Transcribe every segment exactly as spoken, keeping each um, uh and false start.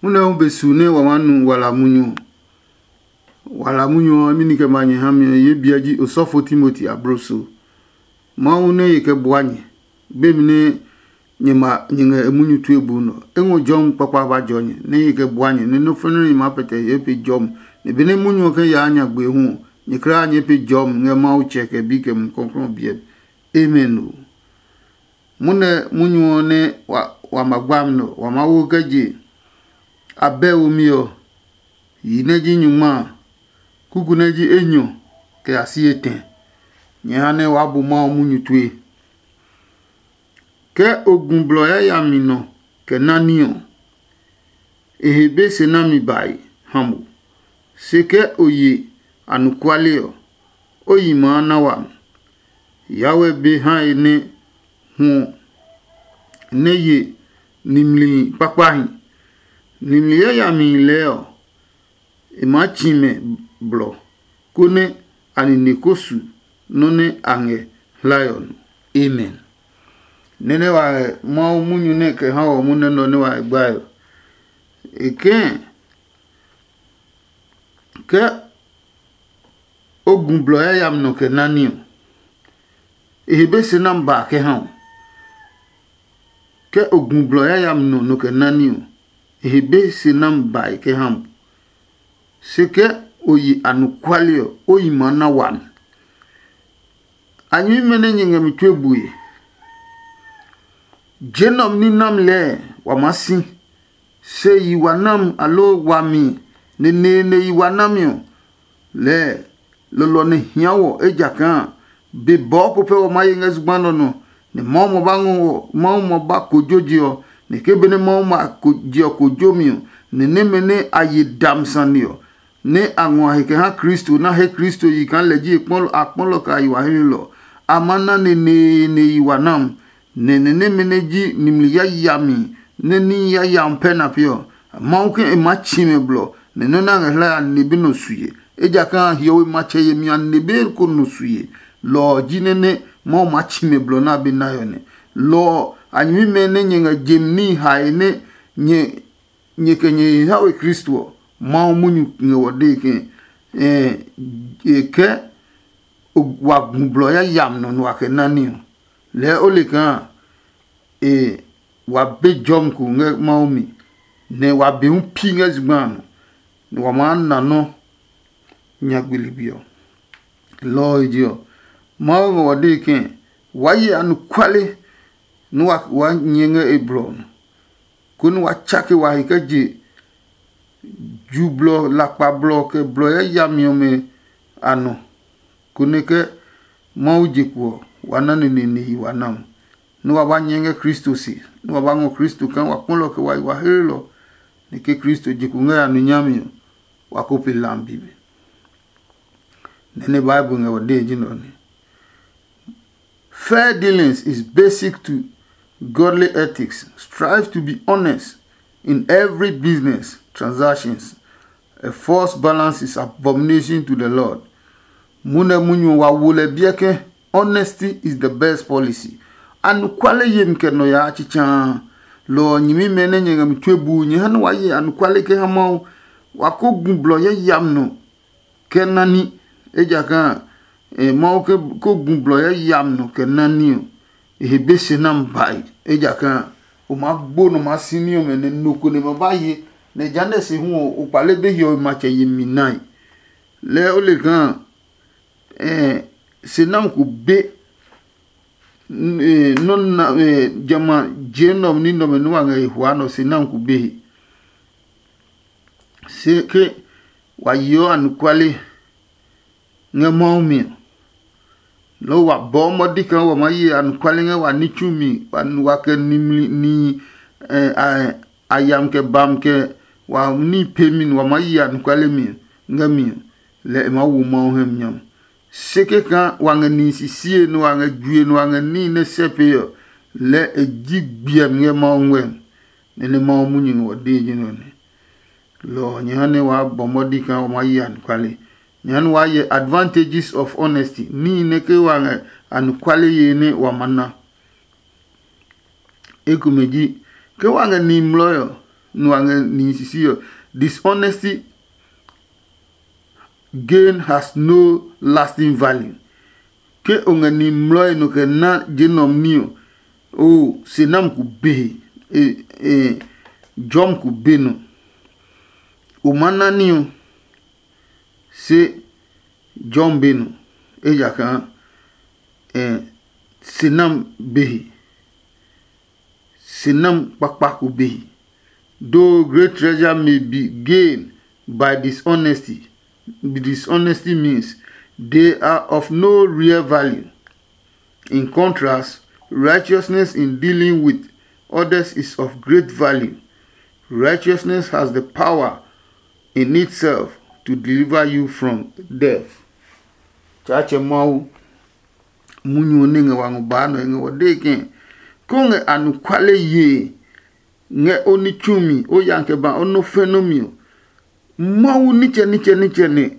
Munɛ hu be su nɛ wa maa nu wala munyu ɔ. Wala munyu ɔ, imi ni kɛ ma nyɛ ha mi ɔ, ye biɛ ji osɔfo Timoti abloso. Mawu nɛ ye kɛ bua nyɛ, gbemi nɛ nyɛ ma nyɛ ngɛ e munyu tue bu nɔ. E ngɔ jɔmi kpakpa ba jɔ nyɛ, nɛ ye kɛ bua nyɛ, nɛ nɔ́ fɛnɛ nɛ nyɛ maa pɛtɛ ye pe jɔmi. Nɛ benɛ munyu ɔ kɛ yaa nyagbe hu ɔ, nyɛ kulaa nyɛɛ pe jɔmi ngɛ Mawu Tsɛ kɛ Bi kɛ Mumi Klɔuklɔu ɔ biɛ mi. Amen o. Munɛ munyu ɔ nɛ wa ma gbami nɛ ɔ, wa maa wo kɛ je abɛ womi ɔ, yi nɛ ji nyungma a, kuku nɛ ji enyɔ kɛ ya si etɛ. Nyɛ ha nɛ waa bu Mawu munyu tue. Ke o gu blɔ yayami nɔ kɛ ná ní ɔ, e he be se nami bae ha mo. Se ke o ye anɔkuale ɔ, o yi maa na wami. Yawɛ be hae nɛ hwɔ nɛ ye nimli kpakpahi. Nimli yayamihi lɛɛ ɔ, e maa tsi mɛ blɔ, konɛ a nine ko su nɔ́ nɛ a ngɛ hlae ɔ nɔ. Amen. Nɛ́ nɛ wa ngɛ Mawu munyu nɛ kɛ ha wɔ munɛ nɔ nɛ wa ngɛ gbae ɔ, e kɛ̃ ke o gu blɔ yayami nɔ kɛ ná ní ɔ, e he be se nami ba kɛ ha o. Ke o gu blɔ yayami nɔ nɔ kɛ ná ní ɔ, e he be se nami bae kɛ ha mo. Se ke o yi anɔkuale ɔ, o yi maa na wami. A nyɛmimɛ nɛ nyɛ ngɛ mi tue bue. Je nɛ ɔ ní nami lɛɛ wa maa si. Se yi wa nami aloo wami neneene yi wa nami ɔ, lɛɛ lɔlɔ nɛ hia wɔ, ejakaa be bɔɔ ko pɛ wɔ maa ye ngɛ zugba nɛ ɔ nɔ, nɛ Mawu ma ba ngɔ wɔ, Mawu ma ba kojo je ɔ, nɛ ke benɛ Mawu ma ko je ɔ kojomi ɔ, nɛ nɛmɛ nɛ a ye dami sane ɔ, nɛ a ngɔ a he kɛ ha Kristo nɛ a he Kristo yi kaa lɛ ji e kpɔlɔ a kpɔlɔ kɛ a yi wa helenɔ ɔ, a ma na neneene yi wa nam. Nɛ nɛ nɛmɛ nɛ ji nimli yayami nɛ ní yayami pɛ na pee ɔ, Mawu ke e maa tsi mɛ blɔ, nɛ nɔ́ nɛ a ngɛ hlae a nine be nɔ sue. Ejakaa hiɔwe matsɛ yemi a nine be ko nɔ sue. Lɔ ɔ ji nɛ nɛ Mawu maa tsi mɛ blɔ nɛ a be nae ɔ nɛ. Lɔ ɔ, a nyɛmimɛ nɛ nyɛ ngɛ jemi níhi hae nɛ nyɛ nyɛ kɛ nyɛ he ha we Kristo ɔ, Mawu munyu ngɛ wɔ dee ke e kɛ wa gu blɔ yayami nɔ nua kɛ ná ní ɔ. Lɛɛ o le kaa e wa be jɔmi ko ngɛ Mawu mi, nɛ wa be hu pi ngɛ zugba a nɔ, nɛ wa maa na nɔ́ nyagbe ligbi ɔ. Lɔ ɔ he je ɔ, Mawu ngɛ wa dee ke waa ye anɔkuale nɛ wa waa nyɛ ngɛ e blɔ ɔ nɔ, konɛ wa tsake wa he kɛ je ju blɔ, lakpa blɔ, kɛ blɔ yayami ɔmɛ a nɔ, konɛ ke Mawu je kpo ɔ, wa na neneene yi wa na mo, nɛ wa ba nyɛ ngɛ Kristo se, nɛ wa ba ngɔ Kristo kaa wa kpɔlɔ kɛ wa yi wa heelɔ, nɛ ke Kristo je kpo ngɛ ya nɔ nyami ɔ, wa ko pe lambi mi. Nɛ nɛ Bible ngɛ ɔ dee ji nɛ ɔ nɛ. Fair dealings is basic to godly ethics. Strive to be honest in every business transactions. A false balance is abomination to the Lord. Munɛ munyu wa wo lɛ biɛ ke honesty is the best policy. Anɔkuale yemi kɛ nɔ yaa tsitsaa. Lɔ ɔ nyɛmimɛ nɛ nyɛ ngɛ mi tue buu nyɛ ha nɛ wa ye anɔkuale kɛ ha Mawu. Wa ko gu blɔ yayami nɔ kɛ nani, ejakaa Mawu ko gu blɔ yayami nɔ kɛ nani ɔ, e he be se nami bae, ejakaa o maa gbo nɔ maa si ní ɔmɛ nɛ no ko nɛ ma ba ye, nɛ jehanɛ se hu ɔ, o kpale be hiɔwe matsɛ yemi nae. Lɛɛ o le kaa se nami ko be nɔ́ na jamɛ a je nɛ ɔ ní nɛ ɔmɛ nɛ wa ngɛ e hwaa nɛ ɔ se nami ko be he. Se ke wa yeɔ anɔkuale ngɛ Mawu mi ɔ, loo wa bɔɔ mɔdi kaa wa maa ye anɔkuale ngɛ wa ní tsumi, wa kɛ nimli nihi a yam kɛ bam kɛ wa ní pemi nɛ wa maa ye anɔkuale mi ngɛ mi ɔ, lɛ e maa wo Mawu hɛ mi nyam. Se kɛkaa wa ngɛ nihi sisie nɛ wa ngɛ jue nɛ wa ngɛ níhi nɛ sɛ pee ɔ, lɛɛ e ji gbiɛmi ngɛ Mawu ngmɛmi, nɛ nɛ Mawu munyu ngɛ wɔ dee ji nɛ ɔ nɛ. Lɔ ɔ, nyɛ ha nɛ waa bɔ mɔdi kaa wa maa yi anɔkuale. Nyɛ ha nɛ waa hyɛ advantages of honesty, níhi nɛ ke wa ngɛ anɔkuale yee nɛ wa ma na. Ekomɛ ji, ke wa ngɛ nihi mlɔɔ ɔ, nua ngɛ nihi sisi ɔ. Dishonesty gain has no lasting value. Ke o ngɛ nihi mlɔe nɔ kɛ na je nɔm ní ɔ, o se nam ku be he, e, e, jɔm ku be nɔ. O ma na ní ɔ, se jɔm be nɔ, ejakaa e, se nam be he. Se nam kpakpa ko be he. Though great treasure may be gained by dishonesty, dishonesty means they are of no real value. In contrast, righteousness in dealing with others is of great value. Righteousness has the power in itself to deliver you from death. Tsaatsɛ Mawu, munyu ɔ nɛ ngɛ wa ngɔ baa nɔ e ngɛ wɔ dee ke, ko ngɛ anɔkuale yee ngɛ o ní tsumi, o ya kɛ ba o nɔ fɛ nɔ́ mi ɔ, Mawu nitsɛ nitsɛ nitsɛ nɛ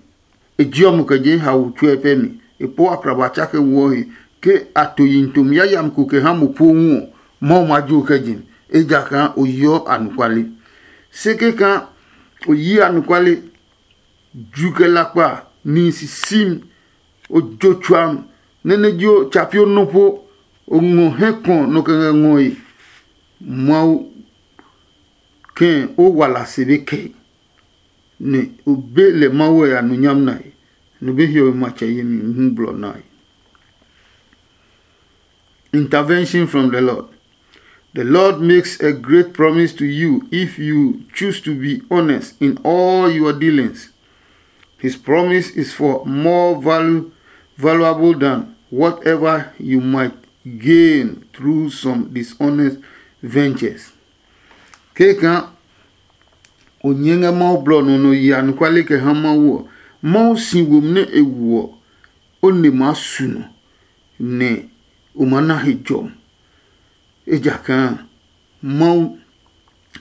e jeɔ mo kɛ je hawo tsuɛ pɛ mi. E pɔ akraba tsake woɔ he ke a to yi ntomi yayami ko kɛ ha mo po hu ɔ, Mawu ma jo kɛ je, ejakaa o yeɔ anɔkuale. Se kɛkaa o yi anɔkuale, ju kɛ lakpa, nihi sisimi, o jo tsuam, nɛ nɛ ji o tsa pio nɔ po, o ngɔ hɛ kɔ nɔ kɛ ngɛ ngɔe. Mawu kɛ̃ o wala se be kɛe, nɛ o be lɛ Mawu ɔ ya nu nyam nae, nɛ o be hiɔwe matsɛ yemi hu blɔ nae. Intervention from the Lord. The Lord makes a great promise to you if you choose to be honest in all your dealings. His promise is for more value, valuable than whatever you might gain through some dishonest ventures. Keka o nyɛ ngɛ Mawu blɔ nɔ nɔ yi anɔkuale kɛ ha Mawu ɔ, Mawu si womi nɛ e woɔ o ne maa su nɔ, nɛ o maa na he jɔmi. Ejakaa Mawu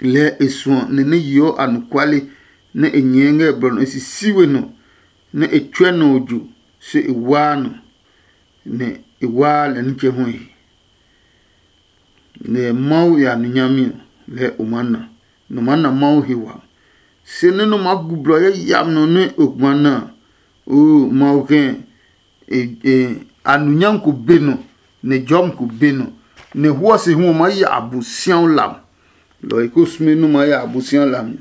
lɛɛ e suɔ nɛ nɛ yeɔ anɔkuale nɛ e nyɛɛ ngɛ blɔ nɔ e sisi we nɔ, nɛ e tsɔɛ nɔ ojo, se e waa nɔ, nɛ e waa lɛ nitsɛ hu he. Nɛ Mawu ya nu nyami ɔ, lɛɛ o maa na, nɔ maa na Mawu he wami. Se nɛ nɔ maa gu blɔ yayami nɔ nɛ o ma na a, oo, Mawu kɛ̃ a nu nyami ko be nɔ, nɛ jɔmi ko be nɔ, nɛ huɔ se hu ɔ maa ya Abosiaɔ lam. Lɔ ɔ he ko sume nɛ o maa ya Abosiaɔ lam nya.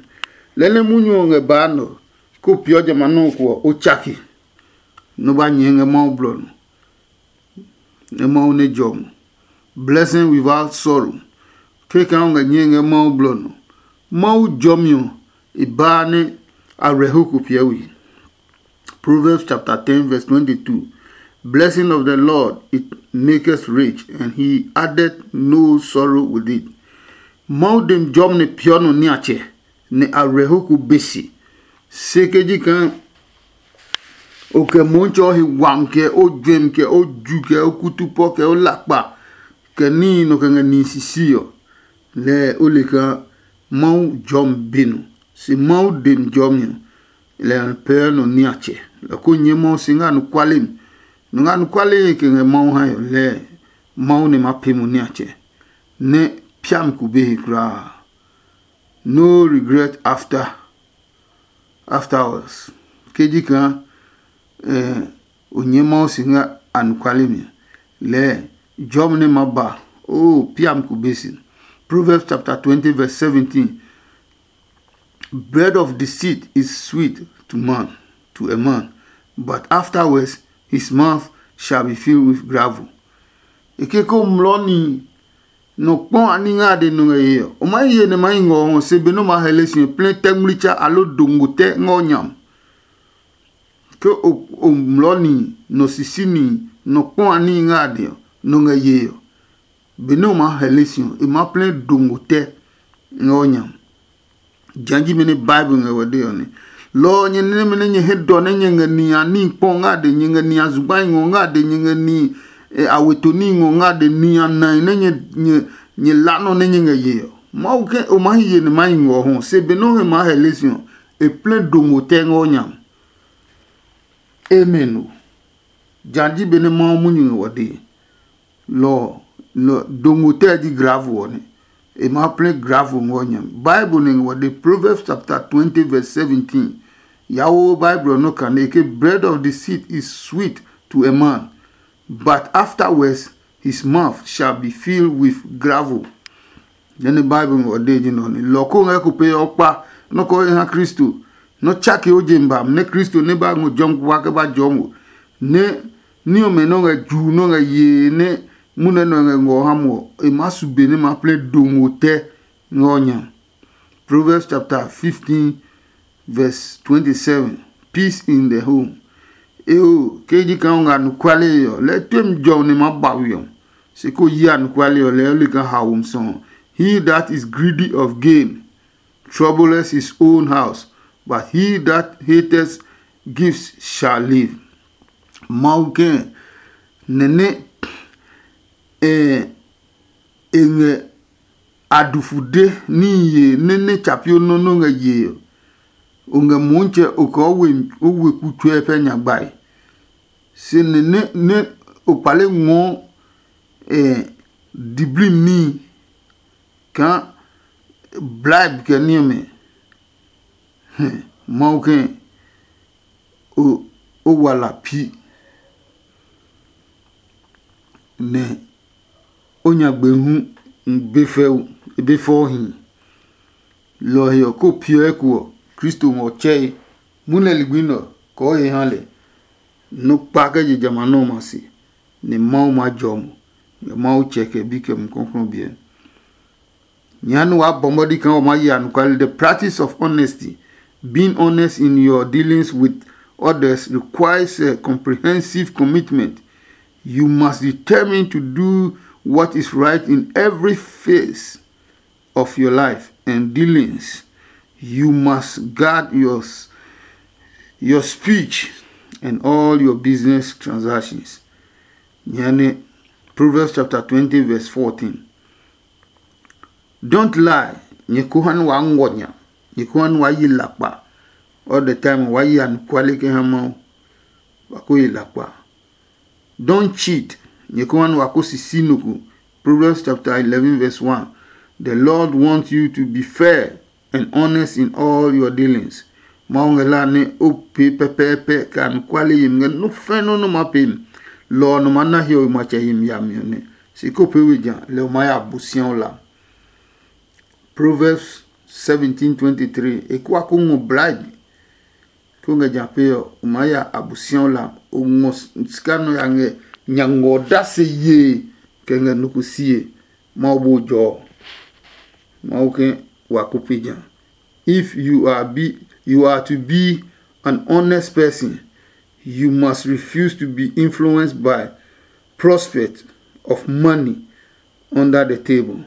Lɛɛ nɛ munyu ɔ ngɛ baa nɛ ɔ, ko peeɔ jamɛ a nɔ́ ko ɔ, o tsake, nɛ o ba nyɛɛ ngɛ Mawu blɔ nɔ. Nɛ Mawu nɛ jɔ mo. Blessing without sorrow. Kekã o ngɛ nyɛe ngɛ Mawu blɔ nɔ. Mawu jɔmi ɔ, e baa nɛ a rɛ ho ko piɛ we. Proverbs chapter ten verse twenty-two. Blessing of the Lord, it maketh rich, and he added no sorrow with it. Mawu dem jɔmi nɛ piɔ nɔ niatsɛ, nɛ a rɛ ho ko be se. Se ke ji kaa o kɛ Mɔɔtsɛ ɔ he wami, kɛ o juɛmi, kɛ o ju, kɛ o kutupɔ, kɛ o lakpa, kɛ níhi nɔ kɛ ngɛ nihi sisi ɔ, lɛɛ o le kaa Mawu jɔmi be nɔ. Se Mawu dem jɔmi ɔ, lɛ ɔ pɛɛ nɔ niatsɛ. Lɛ ko nyɛ Mawu si ngɛ anɔkuale mi. Nɔ ngɛ anɔkuale kɛ ngɛ Mawu hae ɔ, lɛɛ Mawu nɛ ma pee mo niatsɛ, nɛ piami ko be he kulaa. No regret after afterwards. Ke ji kaa eh, o nyɛ Mawu si ngɛ anɔkuale mi, lɛɛ jɔmi nɛ ma ba, o piami ko be si. Proverbs chapter twenty verse seventeen. Bread of deceit is sweet to man, to a man, but afterwards his mouth shall be filled with gravel. E ke ko mlɔ ni nɔ kpɔ a ní ngɛ a de nɔ ngɛ ye ɔ, o ma ye nɛ ma yi ngɔ ɔ se be nɛ o ma hɛle si plɛ tɛ ngmlitsa aloo dongo tɛ ngɛ o nyam. Ke o mlɔ ni nɔ sisi ni nɔ kpɔ a ní ngɛ a de ɔ, nɔ ngɛ ye ɔ, benɛ o maa hɛle si ɔ, e maa plɛ dongo tɛ ngɛ o nya. Jã ji benɛ Bible ngɛ wɛ de ɔ nɛ. Lɔ ɔ nyɛ nɛmɛ nɛ nyɛ he dɔ nɛ nyɛ ngɛ ni a ní kpɔ ngɛ a de, nyɛ ngɛ ni a zugba ngɔ ngɛ a de, nyɛ ngɛ ni a weto ní ngɔ ngɛ a de, ni a nai nɛ nyɛ nyɛ la nɔ nɛ nyɛ ngɛ ye ɔ. Mawu ke o maa hi ye nɛ maa hi ngɔ ɔ hɔ, se benɛ o he maa hɛle si ɔ, e plɛ dongo tɛ ngɛ o nya. Amen o. Jã ji benɛ Mawu munyu ngɛ wɔ dee. Lɔ ɔ, dongo tɛ ji gravel ɔ nɛ. e maa plɛ gravel ngɔ nya. Bible ne ngɔ de Proverbs chapter twenty verse seventeen. Yawo Bible nɔ kane ke bread of deceit is sweet to a man, but afterwards his mouth shall be filled with gravel. Nɛ nɛ Bible ngɔ de ji nɔ ni lɔ ko ngɛ ko pe ɔ kpa nɔ ko ha Kristo. Nɔ tsake o je ba nɛ Kristo ne ba ngɔ jɔm kwa ke ba jɔm o. Nɛ ni ɔmɛ nɔ ngɛ ju nɔ ngɛ ye nɛ munɛ nɔ ngɛ ngɔ ha mo, e ma su be ne ma plɛ do ngo tɛ ngɔ nya. Proverbs chapter fifteen verse twenty-seven. Peace in the home. Eo, ke ji ka nga nukwale ɔ lɛ tem jɔ ne ma ba wi ɔ. Se ko yi anukwale ɔ lɛ li ka ha wom sɔ. He that is greedy of gain troubles his own house, but he that hateth gifts shall live. Mawu kɛ nɛnɛ eh, e ngɛ adufude níhi ye nɛ nɛ tsa pio nɔ́ nɔ́ ngɛ yee ɔ, o ngɛ Motsɛ o kɛ o we kutsɔɛ pɛ nyagbae. Se nɛ nɛ o kpale ngɔɔ eh, diblim níhi kaa bribe kɛ ní ɔmɛ. Mawu kɛ o o wala pi nɛ o nyagbe hu be fɛ be fɔ hi. Lɔ ɔ he ɔ ko piɔ eko ɔ, Kristo ngɔ tsɛe. Munɛ ligbi nɛ ɔ kɔɔ he ha lɛ. Nɔ kpa kɛ je jamɛ a nɔ ɔmɛ a se, nɛ Mawu maa jɔ mo ngɛ Mawu Tsɛ kɛ Bi kɛ Mumi Klɔuklɔu biɛ. Nyɛ ha nɛ waa bɔ mɔdi kaa wa maa ye anɔkuale. The practice of honesty, being honest in your dealings with others, requires a comprehensive commitment. You must determine to do what is right in every phase of your life and dealings. You must guard your, your speech and all your business transactions. Nyɛ ne Proverbs chapter twenty verse fourteen. Don't lie. Nyɛ ko ha nɛ waa ngɔ nya. Nyɛ ko ha nɛ waa yi lakpa. All the time waa yi anɔkuale kɛ ha Mawu. Wa ko yi lakpa. Don't cheat. Nyɛ ko ha nɛ waa ko sisi nɔ ko. Proverbs chapter eleven verse one. The Lord wants you to be fair and honest in all your dealings. Mawu ngɛ hlaa nɛ o pee pɛpɛɛpɛ kɛ anɔkuale yemi ngɛ nɔ́ fɛ̃ nɔ́ nɛ o maa pee mi. Lɔ ɔ nɔ maa na hiɔwe matsɛ yemi yami ɔ nɛ. Se ko pee we ja lɛ o maa ya Abosiaɔ la. Proverbs seventeen twenty-three. E kua ko ngɔ bribe. Ko ngɛ ja pee ɔ, o maa ya Abosiaɔ la. O ngɔ sika nɔ ya ngɛ nya ngɔ ɔ dase yee kɛ ngɛ nɔ ko sie. Mawu bo jɔ ɔ. Mawu ke wa ko pe ja. If you are be you are to be an honest person, you must refuse to be influenced by prospect of money under the table.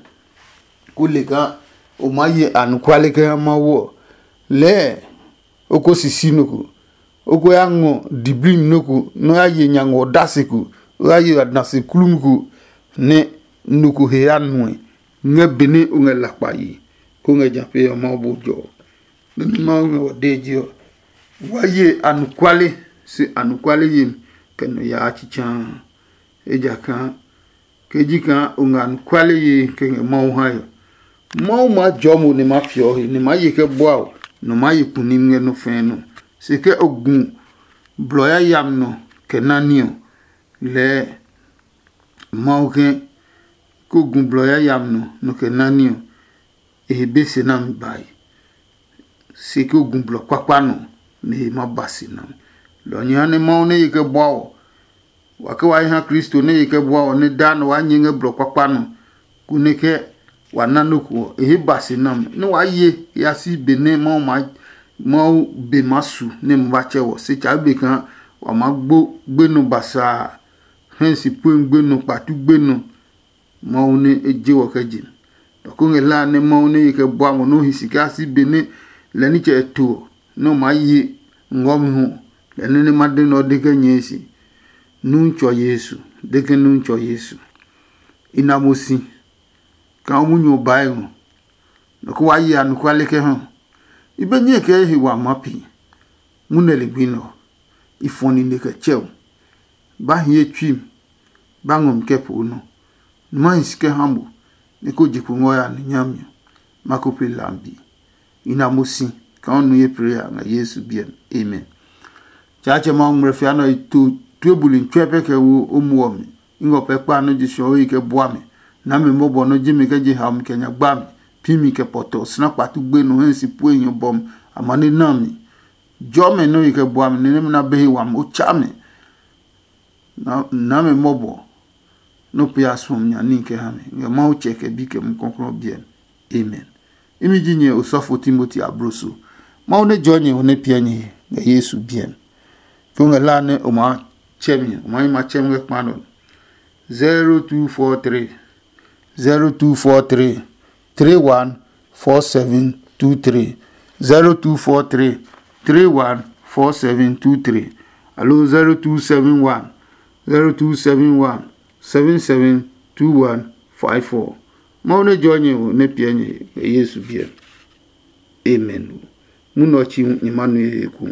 Ko le kaa o maa ye anɔkuale kɛ ha Mawu ɔ, lɛɛ o ko sisi nɔ ko, o ko ya ngɔ diblimi nɔ ko nɛ o ya ye nya ngɔ dasi ko, o ya ye adasi klumi ko nɛ nɔ ko he ya nuɛ ngɛ be nɛ o ngɛ lakpa yi, ko ngɛ ja pee ɔ Mawu bo jɔ ɔ. Nɛ ní Mawu ngɛ wa dee je ɔ, wa ye anɔkuale se anɔkuale yemi kɛ nɔ yaa tsitsaa. Ejakaa ke ji kaa o ngɛ anɔkuale yee kɛ ngɛ Mawu hae ɔ, Mawu maa jɔɔ mo nɛ ma piɔ he nɛ ma ye kɛ bua o nɔ ma ye kuni ngɛ nɔ fɛɛ nɔ. Se ke o gu blɔ yayami nɔ kɛ nani ɔ, lɛɛ Mawu ke ko gu blɔ yayami nɔ nɔ kɛ nani ɔ, e he be se nami bae. Se ke o gu blɔ kpakpa nɔ nɛ e ma ba si nɔ. Lɔ ɔ nyɛ ha nɛ Mawu nɛ ye kɛ bua ɔ, wa ke wa hi ha Kristo nɛ ye kɛ bua ɔ nɛ daa nɔ waa nyɛ ngɛ blɔ kpakpa nɔ, konɛ ke wa na nɔ́ ko ɔ, e he ba si nami nɛ waa ye ya si be nɛ Mawu ma Mawu be maa su nɛ ma ba tsɛ wɔ. Se tsa be kaa wa maa gbo gbenɔ basaa, hɛ si pue gbenɔ, kpatu gbenɔ, Mawu nɛ e je wɔ kɛ je. Dɔ ko ngɛ hlaa nɛ Mawu nɛ ye kɛ bua mo nɛ o hi si kaa si be nɛ lɛ nitsɛ e to ɔ, nɛ o maa ye ngɔmi hu ɔ, lɛ nɛ nɛ ma de nɛ ɔ de kɛ nyɛɛ se, Nutsɔ Yesu, de ke Nutsɔ Yesu. I na mo si kaa o munyu ɔ bae ngɔ, nɔ ko waa ye anɔkuale kɛ ha. I be nyɛe kɛ he wa ma pi. Munɛ ligbi nɛ ɔ, i fɔ nine kɛ tsɛ o. Ba hie tsui mi, ba ngɔ mi kɛ poo nɔ. Numa hi si kɛ ha mo, nɛ ko je kpo ngɔ ya ni nyami ɔ, ma ko pee lambi. I na mo si kaa o nu ye prayer ngɛ Yesu biɛ mi. Amen. Tsaatsɛ Mawu ngmlɛfia nɛ ɔ, i to tue buli tsuɛ pɛ kɛ wo o muɔ mi. I ngɔ pɛ kpa nɔ́ je suɔ o yi kɛ bua mi. Na mi mɔbɔ nɔ́ ji mi kɛ je haomi kɛ nyagba mi, pi mi kɛ pɔtɔ, sina kpatu gbe nɔ hɛ si pue hiɔ bɔm, amane na mi. Jɔ mɛ nɔ́ yi kɛ bua mi, nɛ nɛmɛ na be he wami o tsa mi. Na mi mɔbɔ nɔ́ pee a suɔmi nya níhi kɛ ha mi ngɛ Mawu Tsɛ kɛ Bi kɛ Mumi Klɔuklɔu biɛ mi. Amen. Imi ji nyɛ osɔfo Timoti abloso. Mawu nɛ jɔɔ nyɛ ɔ nɛ piɛ nyɛ he ngɛ Yesu biɛ mi. Ko ngɛ la nɛ o maa tsɛ mi, o maa yi ma tsɛ mi ngɛ kpa nɔ. Zero two four three, zero two four three, three one four seven two three, zero two four three, three one four seven two three, alo zero two seven one, zero two seven one, seven seven two one five four. Mawu nɛ jɔɔ nyɛ ɔ nɛ piɛ nyɛ ngɛ Yesu biɛ. Amen. Munɔ ɔ chi hu nyɛ ma nue he eko.